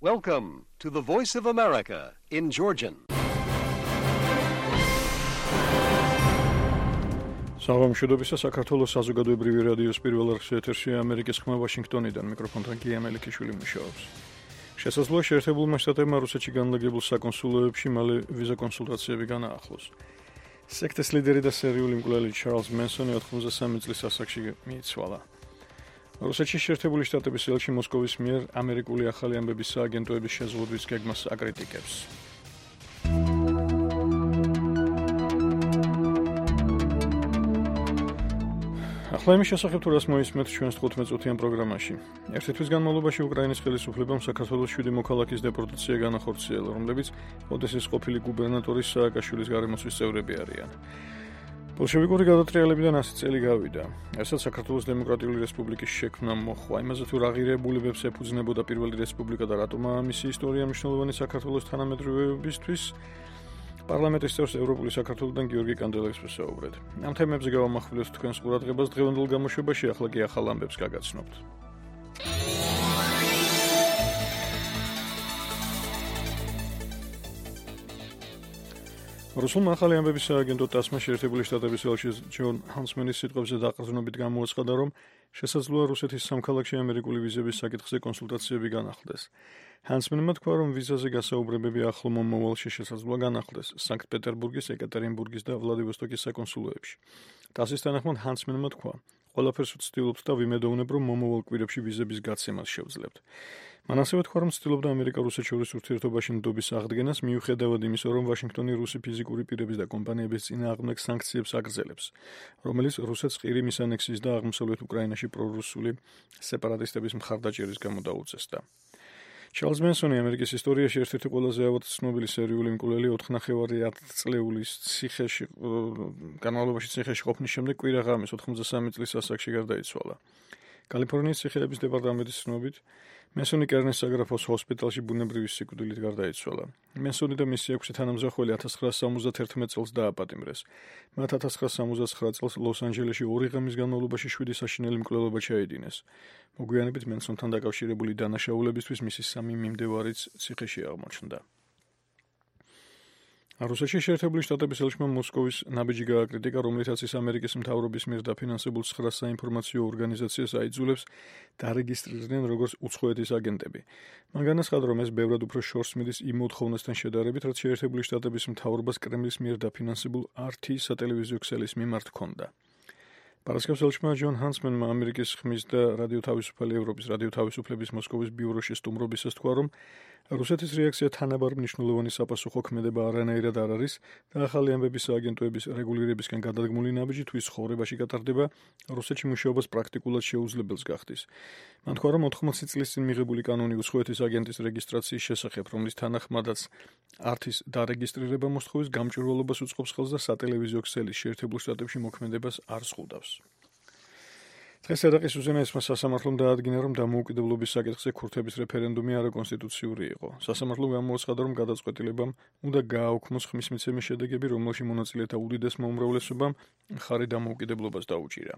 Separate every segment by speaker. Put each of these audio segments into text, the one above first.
Speaker 1: Welcome to the Voice of America in Georgian.
Speaker 2: საღამოშობისა საქართველოს საზოგადოებრივი რადიოს პირველ არხზე ეთერშია ამერიკის ხმა ვაშინგტონიდან მიკროფონთან კი ამელიქიშვილი მუშაობს. შესაძლოა შეერთებულმა შტატებმა რუსეთში განლაგებულ საკონსულოებში მალე ვიზა კონსულტაციები განაახლოს. სექტის ლიდერი და სერიული მკვლელი ჩარლზ მენსონი 83 წლის ასაკში მიიცვალა. რუსეთში შეერთებული შტატების ელჩი მოსკოვის მიერ ამერიკული ახალი ამბების სააგენტოების შეზღუდვის გეგმას აკრიტიკებს. ახლა იმის შესახებ თუ რას მოისმენთ ჩვენს 15-წუთიან პროგრამაში. ერთი თვის განმავლობაში უკრაინის ხელისუფლებამ საქართველოს 7 მოქალაქის დეპორტაცია განახორციელა, რომლებიც ოდესის ყოფილი გუბერნატორის სააკაშვილის გარემოცვის წევრები არიან. ბოლშევიკური გადატრიალებიდან 100 წელი გავიდა. ესაც საქართველოს დემოკრატიული რესპუბლიკის შექმნა მოხდა. იმაზე თუ რა ღირებულებებს ეფუძნებოდა პირველი რესპუბლიკა და რატომაა მისი ისტორია მნიშვნელოვანი საქართველოს თანამედროვეობისთვის, პარლამენტის წევრს ევროპული საქართველოდან გიორგი კანდელაკს ვესაუბრეთ. ამ თემებზე გავამახვილებთ თქვენს ყურადღებას დღევანდელ გამოშვებაში, ახლა კი ახალ ამბებს გაგაცნობთ. რუსულმა ახალი ამბების სააგენტო ტასმა შეერთებული შტატების ელჩი ჯონ ჰანსმენის სიტყვებზე დაყრდნობით გამოაცხადა, რომ შესაძლოა რუსეთის სამქალაქში ამერიკული ვიზების საკითხზე კონსულტაციები განახლდეს. ჰანსმენმა თქვა, რომ ვიზაზე გასაუბრებები ახლო მომავალში შესაძლოა განახლდეს სანქტ-პეტერბურგის, ეკატერინბურგის და ვლადივოსტოკის საკონსულოებში. ტასის თანახმად ჰანსმენმა თქვა, ყველაფერს ვცდილობთ და ვიმედოვნებ, რომ მომავალ კვირებში ვიზების გაცემას შევძლებთ. მან ასევე თქვა, რომ ცდილობდა ამერიკა-რუსეთ შორის ურთიერთობაში ნდობის აღდგენას, მიუხედავად იმისა, რომ ვაშინგტონი რუსი ფიზიკური პირების და კომპანიების წინააღმდეგ სანქციებს აგრძელებს, რომელიც რუსეთს ყირი მის ანექსიის და აღმოსავლეთ უკრაინაში პრორუსული სეპარატისტების მხარდაჭერის გამო დაუწესდა. ჩარლზ მენსონი ამერიკის ისტორიაში ერთ-ერთი ყველაზე ავად ცნობილი სერიული მკვლელი 4,5 წლეულის განმავლობაში ციხეში ყოფნის შემდეგ კვირა ღამეს 83 წლის ასაკში გარდაიცვალა. კალიფორნიის ციხეების დეპარტამენტის ცნობით, მენსონი კერნის საგრაფოს ჰოსპიტალში ბუნებრივი სიკვდილით გარდაიცვალა. მენსონი და მისი 6 თანამძახველი 1971 წელს დააპატიმრეს. მათ 1979 წელს ლოს-ანჯელესში 2 ღამის განმავლობაში 7 საშინელი მკვლელობა ჩაედინეს. მოგვიანებით მენსონთან დაკავშირებული დანაშაულებისთვის მისი 3 მიმდევარიც ციხეში აღმოჩნდა. რუსეთში შეერთებული შტატების ელჩმა მოსკოვის ნაბიჯი გააკრიტიკა, რომლითაც ის ამერიკის მთავრობის მიერ დაფინანსებულ 9 საინფორმაციო ორგანიზაციას აიძულებს დარეგისტრირდნენ როგორც უცხოეთის აგენტები. მან განაცხადა, რომ ეს ბევრად უფრო შორს მიდის იმ მოთხოვნასთან შედარებით, რაც შეერთებული შტატების მთავრობას კრემლის მიერ დაფინანსებულ RT სატელევიზიო ქსელის მიმართ ჰქონდა. პარასკევს ელჩმა ჯონ ჰანსმენმა ამერიკის ხმის და რადიოთავისუფალი ევროპის რადიოთავისუფლების მოსკოვის ბიუროში სტუმრობისას თქვა, რომ რუსეთის რეაქცია თანაბარ მნიშვნელოვანი საპასუხო ქმედება არანაირად არ არის და ახალი ამბების სააგენტოების რეგულირებისგან გადადგმული ნაბიჯი თუ ის ცხოვრებაში გატარდება, რუსეთში მუშაობას პრაქტიკულად შეუძლებელს გახდის. მან თქვა, რომ 80 წლის წინ მიღებული კანონი უცხოეთის აგენტის რეგისტრაციის შესახებ, რომლის თანახმადაც RT-ის დარეგისტრირება მოსთხოვის გამჭვირვალობას უწყობს ხელს და სატელევიზიო ქსელის შეერთებულ შტატებში მოქმედებას არ ზღუდავს. დღეს ერაყის უზენაესმა სასამართლომ დაადგინა, რომ დამოუკიდებლობის საკითხზე ქურთების რეფერენდუმი არაკონსტიტუციური იყო. სასამართლომ გამოაცხადა, რომ გადაწყვეტილებამ უნდა გააუქმოს ხმის მიცემის შედეგები, რომელში მონაწილეთა უდიდესმა უმრავლესობამ მხარი დამოუკიდებლობას დაუჭირა.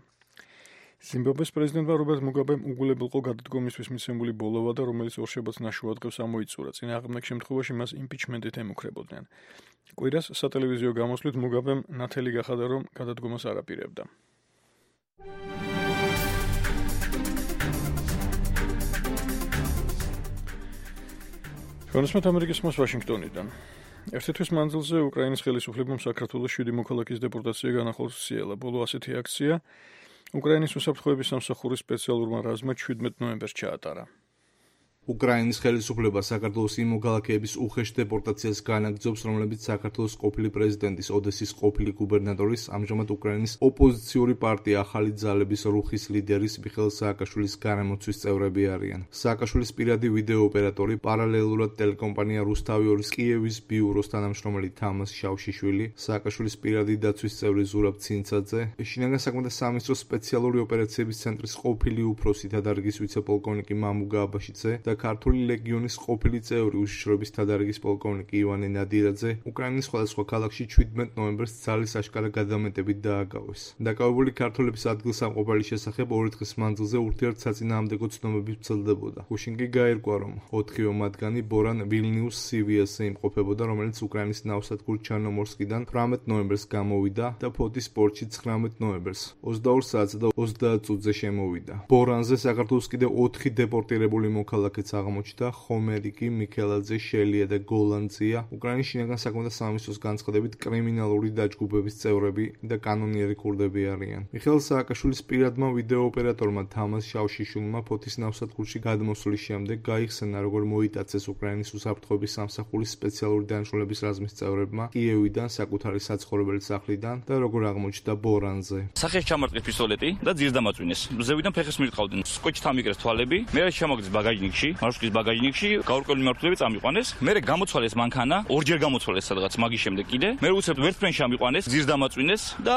Speaker 2: ზიმბაბვეს პრეზიდენტმა რობერტ მუგაბემ უგულებელყო გადადგომისთვის მიცემული ბოლოვა და რომელიც ორშაბათს ნაშუად დღეს ამოიწურა. წინააღმდეგ შემთხვევაში მას იმპიჩმენტით ემუქრებოდნენ. კვირას სატელევიზიო გამოსვლით მუგაბემ ნათელი გახადა, რომ გადადგომას არ აპირებდა. კონსმეთ ამერიკის ხმას ვაშინგტონიდან. ერთი თვის მანძილზე უკრაინის ხელისუფლებამ საქართველოს 7 მოქალაქის დეპორტაცია განახორციელა. ბოლო ასეთი აქცია უკრაინის უსაფრთხოების სამსახურის სპეციალურმა რაზმმა 17 ნოემბერს ჩაატარა.
Speaker 3: უკრაინის ხელისუფლება საქართველოს იმ მოქალაქეების უხეშ დეპორტაციას განაგრძობს, რომლებიც საქართველოს ყოფილი პრეზიდენტის ოდესის ყოფილი გუბერნატორის, ამჟამად უკრაინის ოპოზიციური პარტია ახალი ძალების რუხის ლიდერის მიხეილ სააკაშვილის გარემოცვის წევრები არიან. სააკაშვილის პირადი ვიდეო ოპერატორი, პარალელურად ტელეკომპანია რუსთავი-2-ის კიევის ბიუროს თანამშრომელი თამას შავშიშვილი, სააკაშვილის პირადი დაცვის წევრი ზურაბ ცინცაძე, შინაგან საქმეთა სამინისტროს სპეციალური ოპერაციების ცენტრის ყოფილი უფროსი და დარგის ვიცე-პოლკოვნიკი მამუგა აბაშიძე და ქართული ლეგიონის ყოფილი წევრი უშიშროების თადარიგის პოლკოვნიკი ივანე ნადირაძე უკრაინის სხვადასხვა ქალაქში 17 ნოემბერს ძალის აშკარა გადამეტებით დააგავეს. დაკავებული ქართველების ადგილსამყოფელი შესახებ 2 დღის მანძილზე ურთიერთსაწინააღმდეგო ცნობები ვრცელდებოდა. გუშინ კი გაირკვა, რომ 4 მათგანი ბორან ვილნიუს CVS-ზე იმყოფებოდა, რომელიც უკრაინის ნავსადგურ ჩარნომორსკიდან 18 ნოემბერს გამოვიდა და ფოთის პორტში 19 ნოემბერს 22 საათსა და 30 წუთზე შემოვიდა. ბორანზე საქართველოს კიდევ 4 დეპორტირებული მოქალაქეც აღმოჩნდა, ხომერიკი, მიქელაძე, შელია და გოლანძია, უკრაინის შინაგან საქმეთა სამინისტროს განცხადებით კრიმინალური დაჯგუფების წევრები და კანონიერი ქურდები არიან. მიხეილ სააკაშვილის პირადმა ვიდეო ოპერატორმა თამაზ შავშიშვილმა ფოთის ნავსადგურში გადმოსვლის შემდეგ გაიხსენა, როგორ მოიტაცეს უკრაინის უსაფრთხოების სამსახურის სპეციალური დანიშნულების რაზმის წევრებმა კიევიდან საკუთარი საცხოვრებელი სახლიდან და როგორ აღმოჩნდა ბორანზე.
Speaker 4: სახეში ჩამარტყეს პისტოლეტი და ძირს დამაწვინეს. მზევიდან ფეხის მირტყავდნენ. სკოჩით ამიკრეს თვალები. მე შემოგდის ბაგაჟნიკში, მარშრუტის ბაგაჟნიკში, გაურკვეველი მიმართულებით წამიყვანეს. მე გამოცვალეს მანქანა, ორჯერ გამოცვალეს სადღაც მაგის შემდეგ კიდე. მე უცებ ვერტფრენში ამიყვანეს, ძირს დამაწვინეს და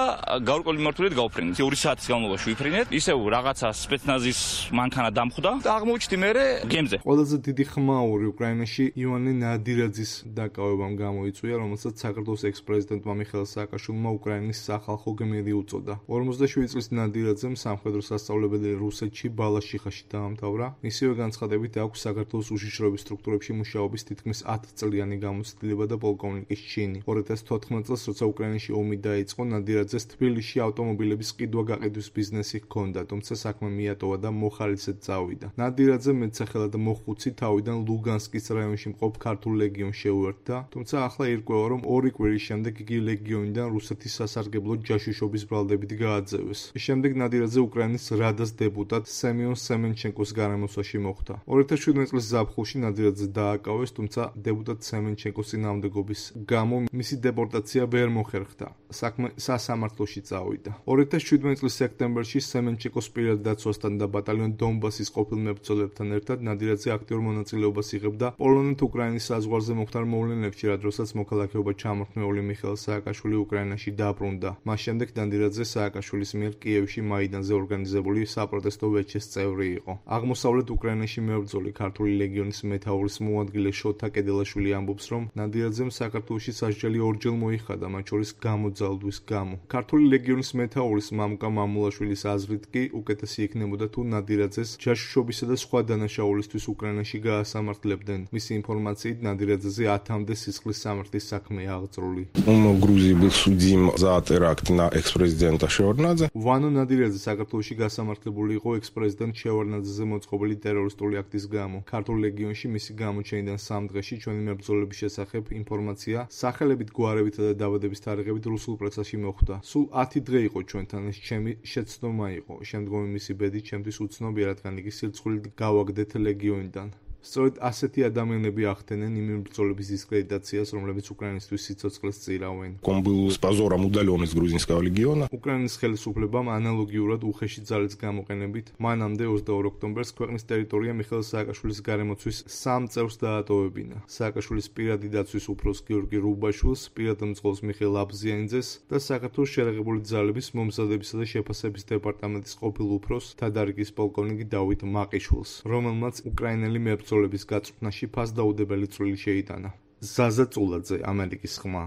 Speaker 4: გაურკვეველი მიმართულებით გავფრინეთ. 2 საათის განმავლობაში ვიფრინეთ. ისევ რაღაცა სპეცნაზის მანქანა დამხვდა და აღმოჩნდი მე გემზე.
Speaker 3: ყველაზე დიდი ხმაური უკრაინაში ივანე ნადირაძის დაკავებამ გამოიწვია, რომელსაც საქართველოს ექს-პრეზიდენტმა მიხეილ სააკაშვილმა უკრაინის სახალხო გმირი უწოდა. 47 წლის ნადირაძემ სამხედრო სასწავლებელი რუსეთში ბალაშიხაში დაამთავრა. მისივე განცხადებით აქვს საქართველოს უშიშროების სტრუქტურებში მუშაობის თითქმის 10 წლიანი გამოცდილება და პოლკოვნიკის ჩინი. 2014 წელს, როცა უკრაინაში ომი დაიწყო, ნადირაძეს თბილისში ავტომობილების ყიდვა-გაყიდვის ბიზნესი ჰქონდა, თუმცა საქმე მიატოვა და მოხალისედ წავიდა. ნადირაძე მეტსახელად მოხუცი თავიდან ლუგანსკის რაიონში მყოფ ქართულ ლეგიონს შეუერთდა, თუმცა ახლა ირკვევა, რომ 2 კვირის შემდეგ იგი ლეგიონიდან რუსეთის სასარგებლო ჯაშუშობის ბრალდებით გააძევეს. შემდეგ ნადირაძე უკრაინის რადას დეპუტატ სემიონ სემენჩენკოს გარემოსვაში მოხვდა. 2017 წლის ზაფხულში ნადირაძე დააკავეს, თუმცა დეპუტატ სემენჩენკოს წინააღმდეგობის გამო მისი დეპორტაცია ვერ მოხერხდა. საქმე სასამართლოში წავიდა. 2017 წლის სექტემბერში სემენჩენკოს პირად დაცვასთან და ბატალიონ დონბასის ყოფილ მებრძოლებთან ერთად ნადირაძე აქტიურ მონაწილეობას იღებდა პოლონეთ-უკრაინის საზღვარზე მოხდარ მოვლენებში, რადგანაც მოქალაქეობა ჩამორთმეული მიხეილ სააკაშვილი უკრაინაში დაბრუნდა. მას შემდეგ ნადირაძე სააკაშვილის მიერ კიევში მაიდანზე ორგანიზებული საპროტესტო ვეჩეს წევრი იყო. აღმოსავლეთ უკრაინაში მებრძოლი ქართული ლეგიონის მეთაურის მოადგილე შოთა კედელაშვილი ამბობს, რომ ნადირაძემ საქართველოში სასჯელი ორჯერ მოიხადა, მათ შორის გამოძალვის გამო. ქართული ლეგიონის მეთაურის მამუკა მამულაშვილის აზრით კი უკეთესი იქნებოდა თუ ნადირაძეს ჯაშუშობისა და სხვა დანაშაულისთვის უკრაინაში გაასამართლებდნენ. მისი ინფორმაციით ნადირაძეზე 10-მდე სისხლის სამართლის საქმეა აღწრული.
Speaker 5: Грузии был судим за теракт на экс-президента Шеварднадзе.
Speaker 3: ვანო ნადირაძე საქართველოში გასამართლებული იყო ექს-პრეზიდენტ შევარდნაძეზე მოწყობილი ტერორისტული აქტის გამო. ქართულ ლეგიონში მისი გამოჩენიდან 3 დღეში ჩვენი მებრძოლების შესახებ ინფორმაცია სახელებით, გვარებითა და დაბადების თარიღებით რუსულ პრესაში მოხვდა. სულ 10 დღე იყო ჩვენთან, ეს ჩემი შეცდომა იყო. შემდგომი მისი ბედი ჩემთვის უცნობია, რადგან იგი სირცხვილით გავაგდეთ ლეგიონიდან. სწორედ ასეთი ადამიანები ახდენენ იმ მებრძოლების დისკრედიტაციას, რომლებიც უკრაინისთვის სიცოცხლეს წირავენ.
Speaker 5: Он был с позором удален из грузинского легиона.
Speaker 3: უკრაინის ხელისუფლებამ ანალოგიურად უხეში ძალის გამოყენებით მანამდე 22 ოქტომბერს ქვეყნის ტერიტორია მიხეილ სააკაშვილის გარემოცვის 3 წევრს დაატოვებინა. სააკაშვილის პირადი დაცვის უფროს გიორგი რუბაშვილს, პირად მძღოლს მიხეილ აბზიანიძეს და საქართველოს შერეღებული ძალების მომზადებისა და შეფასების დეპარტამენტის ყოფილ უფროს თადარიგის პოლკოვნიკი დავით მაყიშვილს, რომელმაც უკრაინელი მებრძოლების გაწვრთნაში ფასდაუდებელი წვლილი შეიტანა. ზაზა წულაძე, ამერიკის ხმა.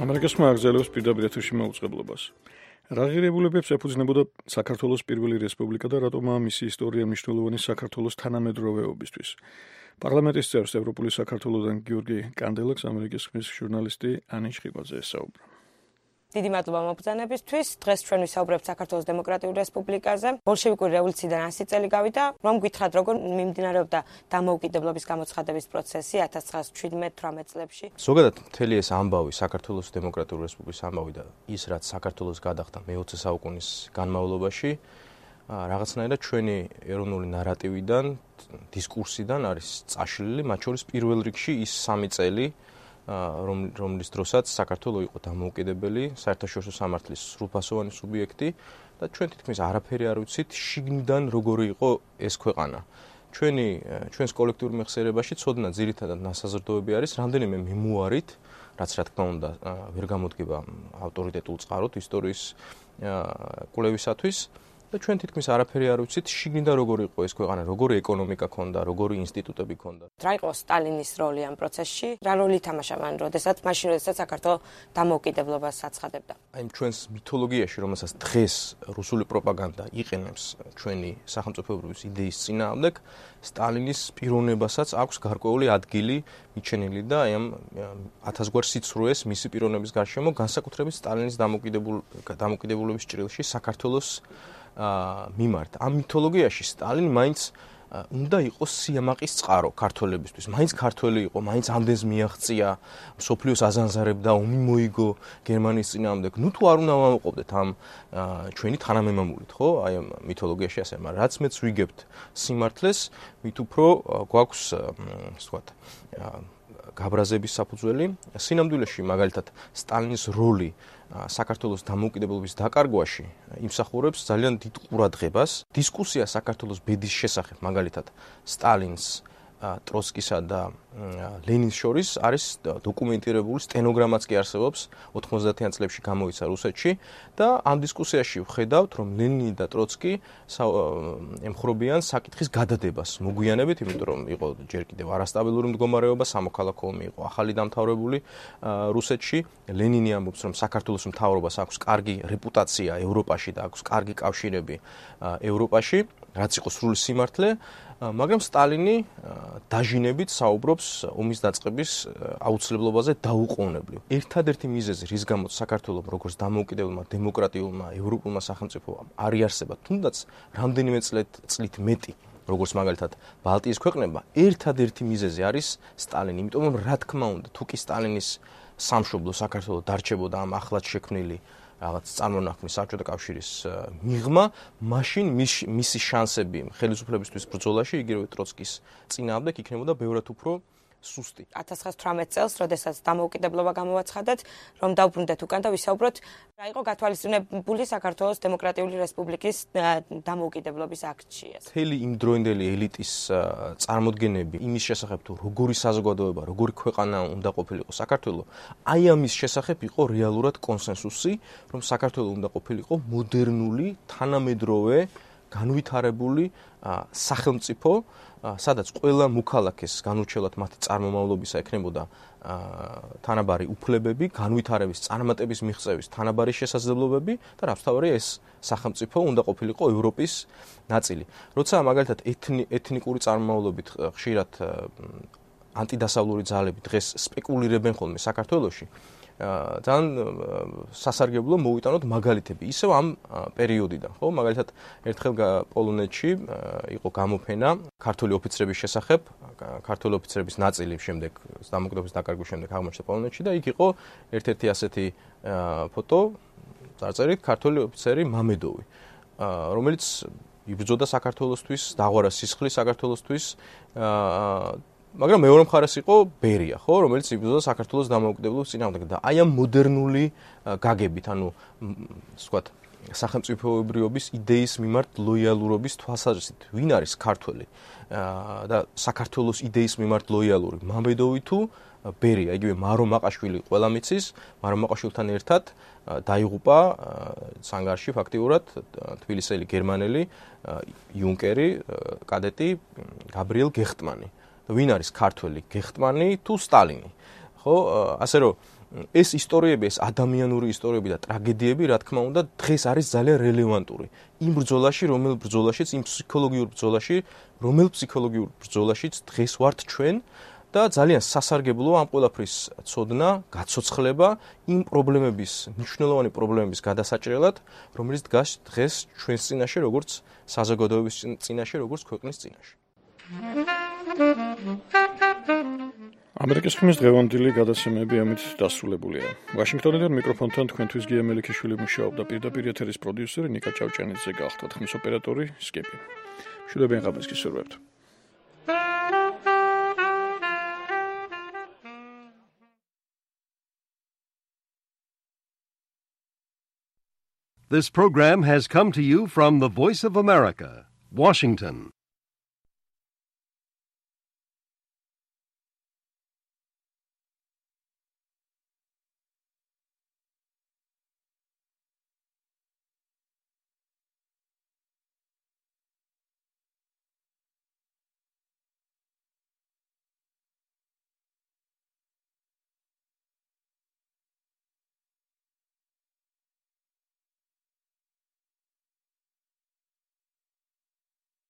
Speaker 2: ამერიკის ხმა აგზელებს პირდაპირ ეთერში მოუწყებლობას. რა ღირებულებებს ეფუძნებოდა საქართველოს პირველი რესპუბლიკა და რატომაა მისი ისტორია მნიშვნელოვანი საქართველოს თანამედროვეობისთვის? პარლამენტის წევრს ევროპული საქართველოსდან გიორგი კანდელაკს ამერიკის ხმის ჟურნალისტი ანი შხიბაძე ესაუბრა.
Speaker 6: დიდი მადლობა მობრძანებისთვის. დღეს ჩვენ ვისაუბრებთ საქართველოს დემოკრატიულ რესპუბლიკაზე. ბოლშევიკური რევოლუციიდან 100 წელი გავიდა, რომ გითხრათ როგორ მიმდინარეობდა დამოუკიდებლობის გამოცხადების პროცესი 1917-18 წლებში.
Speaker 7: ზოგადად მთელი ეს ამბავი, საქართველოს დემოკრატიული რესპუბლიკის ამბავი და ის რაც საქართველოს გადახდა მე-20 საუკუნის განმავლობაში, რაღაცნაირად ჩვენი ეროვნული ნარატივიდან, დისკურსიდან არის წაშლილი, მათ შორის პირველ რიგში ის 3 წელი რომლის დროსაც საქართველო იყო დამოუკიდებელი, საერთაშორისო სამართლის სრულფასოვანი სუბიექტი და ჩვენ თითქმის არაფერი არ ვიცით შიგნიდან როგორი იყო ეს ქვეყანა. ჩვენს კოლექტიურ მეხსიერებაში ცოდნა ძირითადად ნასაზრდოები არის რამდენიმე მემუარით, რაც რა თქმა უნდა ვერ გამოდგება ავტორიტეტულ წყაროდ ისტორიის კვლევისათვის და ჩვენ თითქმის არაფერი არ ვიცით შიგნიდან როგორი იყო ეს ქვეყანა, როგორი ეკონომიკა ქონდა, როგორი ინსტიტუტები ქონდა.
Speaker 6: რა იყო სტალინის როლი ამ პროცესში? რა როლი ითამაშა მან, როდესაც საქართველოს დამოუკიდებლობას აცხადებდა?
Speaker 7: აი ჩვენს მითოლოგიაში, რომელსაც დღეს რუსული პროპაგანდა იყენებს ჩვენი სახელმწიფოებრივი იდეის წინააღმდეგ, სტალინის პიროვნებასაც აქვს გარკვეული ადგილი მიჩენილი და აი ამ 1000 გვარ სიცრუეს მისი პიროვნების გარშემო განსაკუთრებით სტალინის დამოუკიდებლობის ჭრილში საქართველოს მიმართ. ამ მითოლოგიაში სტალინი მაინც უნდა იყოს სიამაყის წყარო ქართველებისთვის. მაინც ქართველი იყო, მაინც ამდენს მიაღწია, მსოფლიოს აზანზარებდა, ომი მოიგო გერმანიის წინააღმდეგ. ნუ თუ არ უნდა ვამოყობდეთ ამ ჩვენი თანამემამულით, ხო? აი ამ მითოლოგიაში ასე, მაგრამ რაც მეც ვიგებთ სიმართლეს, მით უფრო გვაქვს, ვთქვათ, გაბრაზების საფუძველი. სინამდვილეში მაგალითად სტალინის როლი საქართველოს დამოუკიდებლობის დაკარგვაში იმსახურებს ძალიან დიდ ყურადღებას. დისკუსია საქართველოს ბედის შესახებ, მაგალითად, სტალინს, ტროცკისა და ლენინს შორის არის დოკუმენტირებული, სტენოგრამაც კი არსებობს, 90-იან წლებში გამოიცა რუსეთში და ამ დისკუსიაში ვხედავთ, რომ ლენინი და ტროცკი ემხრობიან საკითხის გადადებას მოგვიანებით, იმიტომ რომ იყო ჯერ კიდევ არასტაბილური მდგომარეობა, სამოქალაქო ომი იყო ახალი დამთავრებული რუსეთში. ლენინი ამბობს, რომ საქართველოს მთავრობას აქვს კარგი რეპუტაცია ევროპაში და აქვს კარგი კავშირები ევროპაში, რაც იყო სრული სიმართლე. მაგრამ სტალინი დაჟინებით საუბრობს ომის დაწყების აუცილებლობაზე დაუყოვნებლივ. ერთადერთი მიზეზი, რის გამოც საქართველოს როგორც დამოუკიდებლმა დემოკრატიულმა ევროპულმა სახელმწიფომ არ იარსება, თუნდაც რამდენიმე წლით მეტი, როგორც მაგალითად ბალტიის ქვეყნებმა, ერთადერთი მიზეზი არის სტალინი. იმიტომ რომ რა თქმა უნდა, თუ კი სტალინის სამშობლო საქართველოს დარჩებოდა ამ ახლად შექმნილი რაღაც წარმონაქმნის საბჭოთა კავშირის მიღმა, მაშინ მისი შანსები ხელისუფლებისთვის ბრძოლაში, იგივე ტროცკის წინააღმდეგ იქნებოდა ბევრად უფრო სუსტი.
Speaker 6: 1918 წელს, როდესაც დამოუკიდებლობა გამოვაცხადეთ, რომ დავბრუნდეთ უკან და ვისაუბროთ, რა იყო გათვალისწინებული საქართველოს დემოკრატიული რესპუბლიკის დამოუკიდებლობის აქტში.
Speaker 7: მთელი იმდროინდელი ელიტის წარმოდგენები იმის შესახებ, თუ როგორი საზოგადოება, როგორი ქვეყანა უნდა ყოფილიყო საქართველო, აი ამის შესახებ იყო რეალურად კონსენსუსი, რომ საქართველო უნდა ყოფილიყო მოდერნული, თანამედროვე, განვითარებული სახელმწიფო, სადაც ყველა მოქალაქეს განურჩევლად მათი წარმომავლობისა ექნებოდა თანაბარი უფლებები, განვითარების, წარმატების მიღწევის თანაბარი შესაძლებლობები და რაბსთავარია ეს სახელმწიფო უნდა ყოფილიყო ევროპის ნაწილი. როცა მაგალითად ეთნიკური წარმომავლობით ხშირად ანტიდასავლური ძალები დღეს სპეკულირებენ ხოლმე საქართველოში, ძალიან სასარგებლო მოვიტანოთ მაგალითები ისევ ამ პერიოდიდან, ხო? მაგალითად, ერთხელ პოლონეთში იყო გამოფენა ქართული ოფიცრების შესახებ, ქართული ოფიცრების ნაწილი შემდეგ დამოუკიდებლობის დაკარგვის შემდეგ აღმოჩნდა პოლონეთში და იქ იყო ერთ-ერთი ასეთი ფოტო, წარწერით ქართული ოფიცერი მამედოვი, რომელიც იბრძოდა საქართველოსთვის, დაღვარა სისხლის საქართველოსთვის, მაგრამ მეორე მხარეს იყო ბერია, ხო, რომელიც იბრძოდა საქართველოს დამოუკიდებლობის წინააღმდეგ და აი ამ მოდერნული გაგებით, ანუ ვთქვათ, სახელმწიფოებრიობის იდეის მიმართ ლოიალურობის თვალსაზრისით, ვინ არის ქართველი და საქართველოს იდეის მიმართ ლოიალური, მამედოვი თუ ბერია, იგივე მარო მაყაშვილი ყველამ იცის, მარო მაყაშვილთან ერთად დაიღუპა სანგარში ფაქტიურად თბილისელი გერმანელი იუნკერი, კადეტი გაბრიელ გეხტმანი. ვინ არის ქართველი, გეხტმანი თუ სტალინი? ხო, ასე რომ ეს ისტორიები, ეს ადამიანური ისტორიები და ტრაგედიები, რა თქმა უნდა, დღეს არის ძალიან რელევანტური. იმ ბრძოლაში, რომელ ბრძოლაშიც, იმ ფსიქოლოგიურ ბრძოლაში, რომელ ფსიქოლოგიურ ბრძოლაშიც დღეს ვართ ჩვენ და ძალიან სასარგებლოა ამ ყველაფრის ცოდნა, გაცოცხლება იმ პრობლემების, მნიშვნელოვანი პრობლემების გადასაჭრელად, რომელიც დგას დღეს ჩვენს წინაშე, როგორც საზოგადოების წინაშე, როგორც ქვეყნის წინაშე.
Speaker 2: ამერიკის ხმის დღევანდელი გადაცემები ამით დასრულებულია. ვაშინგტონიდან მიკროფონთან თქვენთვის გია მელიქიშვილი მუშაობდა, პირდაპირ ეთერის პროდიუსერი ნიკა ჭავჭანიძე გახლდათ, ხმის ოპერატორი სკიპი. მშვიდობიან ღამეს გისურვებთ.
Speaker 1: This program has come to you from the Voice of America, Washington.